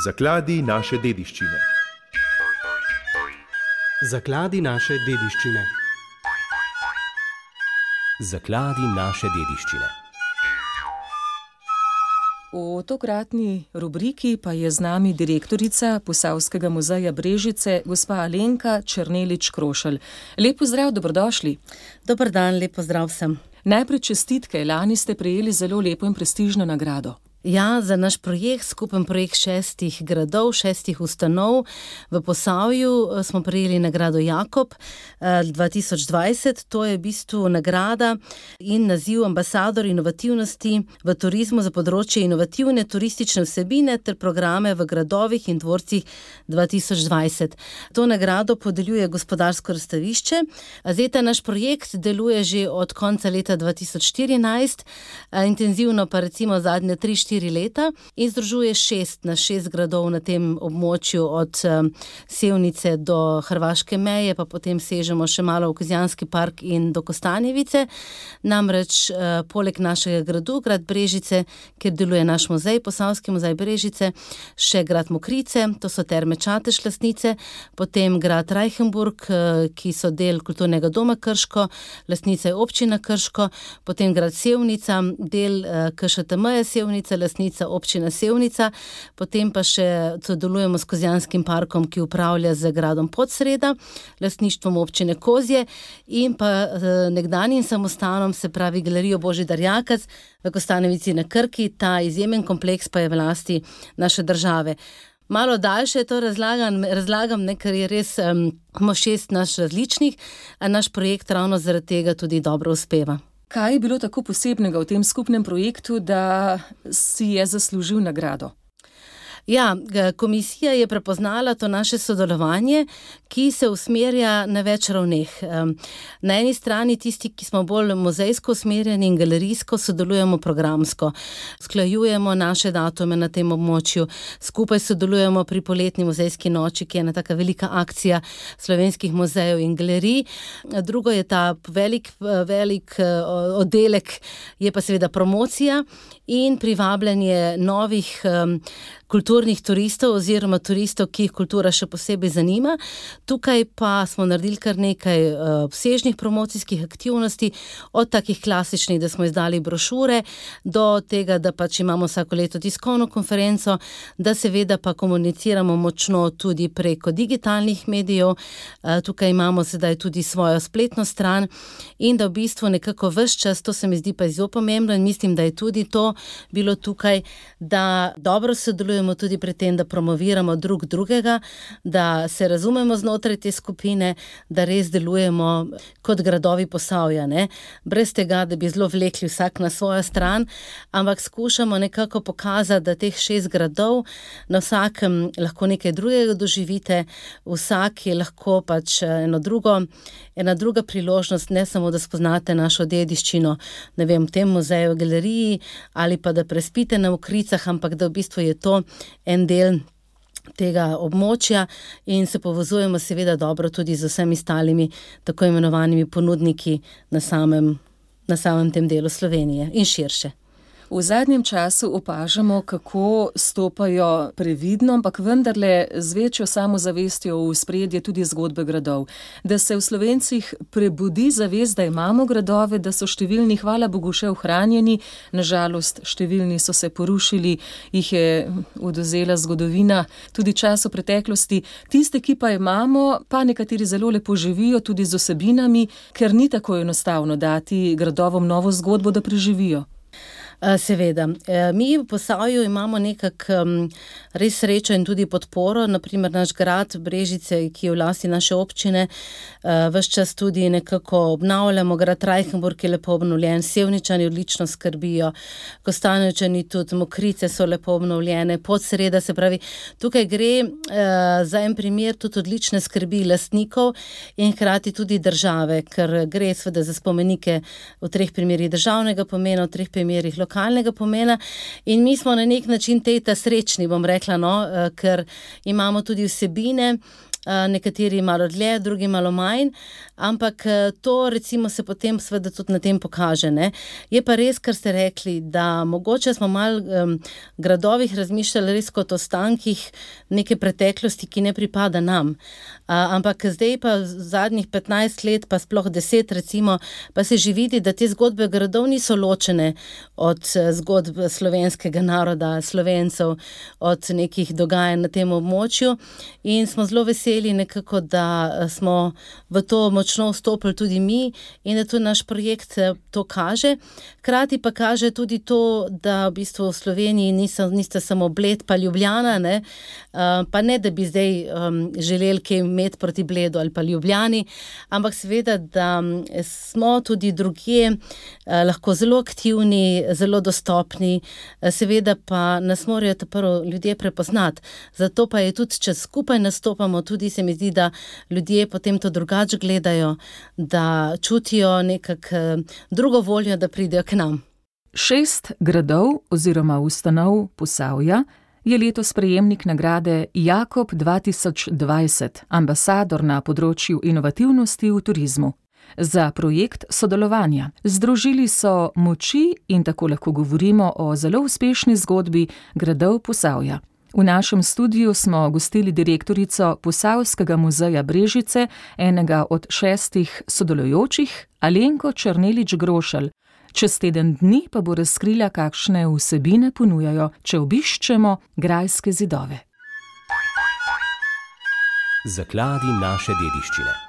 Zakladi naše dediščine. Zakladi naše dediščine. Zakladi naše dediščine. V tokratni rubriki pa je z nami direktorica Posavskega muzeja Brežice, gospa Alenka Černelič-Krošelj. Lep pozdrav, dobrodošli. Dober dan, lep pozdrav vsem. Najprej čestitke, lani ste prejeli zelo lepo in prestižno nagrado. Ja, za naš projekt, skupen projekt 6 gradov, 6 ustanov v Posavju smo prejeli nagrado Jakob 2020. To je v bistvu nagrada in naziv ambasador inovativnosti v turizmu za področje inovativne turistične vsebine ter programe v gradovih in dvorcih 2020. To nagrado podeljuje Gospodarsko razstavišče. Zdaj ta naš projekt deluje že od konca leta 2014, intenzivno pa recimo zadnje 3-4 leta in združuje 6 gradov na tem območju od Sevnice do hrvaške meje, pa potem sežemo še malo v Kozjanski park in do Kostanjevice. Namreč poleg našega gradu, grad Brežice, kjer deluje naš muzej, Posavski muzej Brežice, še grad Mokrice, to so Terme Čatež lastnice, potem grad Reichenburg, ki so del kulturnega doma Krško, lastnica je občina Krško, potem grad Sevnica, del KŠTM-ja Sevnica, lastnica občina Sevnica, potem pa še sodelujemo s Kozjanskim parkom, ki upravlja z gradom Podsreda, lastništvom občine Kozje in pa nekdanjim samostanom, se pravi Galerijo Božidar Jakac v Kostanjevici na Krki. Ta izjemen kompleks pa je v lasti naše države. Malo daljše to razlagam, ker je res imamo 6 naš različnih, a naš projekt ravno zaradi tega tudi dobro uspeva. Kaj je bilo tako posebnega v tem skupnem projektu, da si je zaslužil nagrado? Ja, komisija je prepoznala to naše sodelovanje, ki se usmerja na več ravneh. Na eni strani tisti, ki smo bolj muzejsko usmerjeni in galerijsko, sodelujemo programsko. Sklajujemo naše datume na tem območju, skupaj sodelujemo pri poletni muzejski noči, ki je ena taka velika akcija slovenskih muzejev in galerij. Drugo je ta velik oddelek, je pa seveda promocija in privabljanje novih kulturnih turistov oziroma turistov, ki jih kultura še posebej zanima. Tukaj pa smo naredili kar nekaj obsežnih promocijskih aktivnosti, od takih klasičnih, da smo izdali brošure, do tega, da pač imamo vsako leto tiskovno konferenco, da seveda pa komuniciramo močno tudi preko digitalnih medijev. Tukaj imamo sedaj tudi svojo spletno stran in da v bistvu nekako ves čas, to se mi zdi pa zelo pomembno in mislim, da je tudi to bilo tukaj, da dobro sodelujemo tudi pri tem, da promoviramo drugega, da se razumemo znotraj te skupine, da res delujemo kot gradovi Posavja, ne? Brez tega, da bi zelo vlekli vsak na svojo stran, ampak skušamo nekako pokazati, da teh 6 gradov na vsakem lahko nekaj drugega doživite, vsak je lahko pač ena druga priložnost, ne samo, da spoznate našo dediščino, ne vem, v tem muzeju, galeriji, ali pa da prespite na Mokricah, ampak da v bistvu je to en del tega območja in se povezujemo seveda dobro tudi z vsemi ostalimi tako imenovanimi ponudniki na samem tem delu Slovenije in širše. V zadnjem času opažamo, kako stopajo previdno, ampak vendarle z večjo samozavestjo v ospredje tudi zgodbe gradov. Da se v Slovencih prebudi zavest, da imamo gradove, da so številni, hvala Bogu, še ohranjeni, nažalost številni so se porušili, jih je odvzela zgodovina, tudi čas v preteklosti. Tiste, ki pa imamo, pa nekateri zelo lepo živijo tudi z osebinami, ker ni tako enostavno dati gradovom novo zgodbo, da preživijo. Seveda. Mi v Posavju imamo nekako res srečo in tudi podporo, naprimer naš grad Brežice, ki je v lasti naše občine, ves čas tudi nekako obnavljamo, grad Reichenburg je lepo obnovljen, Sevničani odlično skrbijo, Kostanjevčani tudi, Mokrice so lepo obnovljene, Podsreda, se pravi, tukaj gre za en primer tudi odlične skrbi lastnikov in hkrati tudi države, ker gre seveda za spomenike v 3 primerih državnega pomena, v 3 primerih lokalnega pomena in mi smo na nek način ta srečni, bom rekla, ker imamo tudi vsebine, nekateri malo dlje, drugi malo manj, ampak to recimo se potem seveda tudi na tem pokaže, ne. Je pa res, kar ste rekli, da mogoče smo malo gradovih razmišljali res kot o ostankih neke preteklosti, ki ne pripada nam. Ampak zdaj pa zadnjih 15 let, pa sploh 10 recimo, pa se že vidi, da te zgodbe gradov niso ločene od zgodb slovenskega naroda, Slovencev, od nekih dogajanj na tem območju in smo zelo veseli nekako, da smo v to močno vstopili tudi mi in da tudi naš projekt to kaže. Hkrati pa kaže tudi to, da v bistvu v Sloveniji niste samo Bled pa Ljubljana, ne? Pa ne, da bi zdaj želeli kaj imeti proti Bledu ali pa Ljubljani, ampak seveda, da smo tudi drugje lahko zelo aktivni, zelo dostopni, seveda pa nas morajo prvo ljudje prepoznati. Zato pa je tudi, če skupaj nastopamo, tudi se mi zdi, da ljudje potem to drugače gledajo, da čutijo nekako drugo voljo, da pridejo k nam. 6 gradov oziroma ustanov Posavja je letos prejemnik nagrade Jakob 2020, ambasador na področju inovativnosti v turizmu. Za projekt sodelovanja. Združili so moči in tako lahko govorimo o zelo uspešni zgodbi gradov Posavja. V našem studiu smo gostili direktorico Posavskega muzeja Brežice, enega od 6 sodelujočih, Alenko Černelič Grošelj. Čez teden dni pa bo razkrila, kakšne vsebine ponujajo, če obiščemo grajske zidove. Zakladi naše dediščine.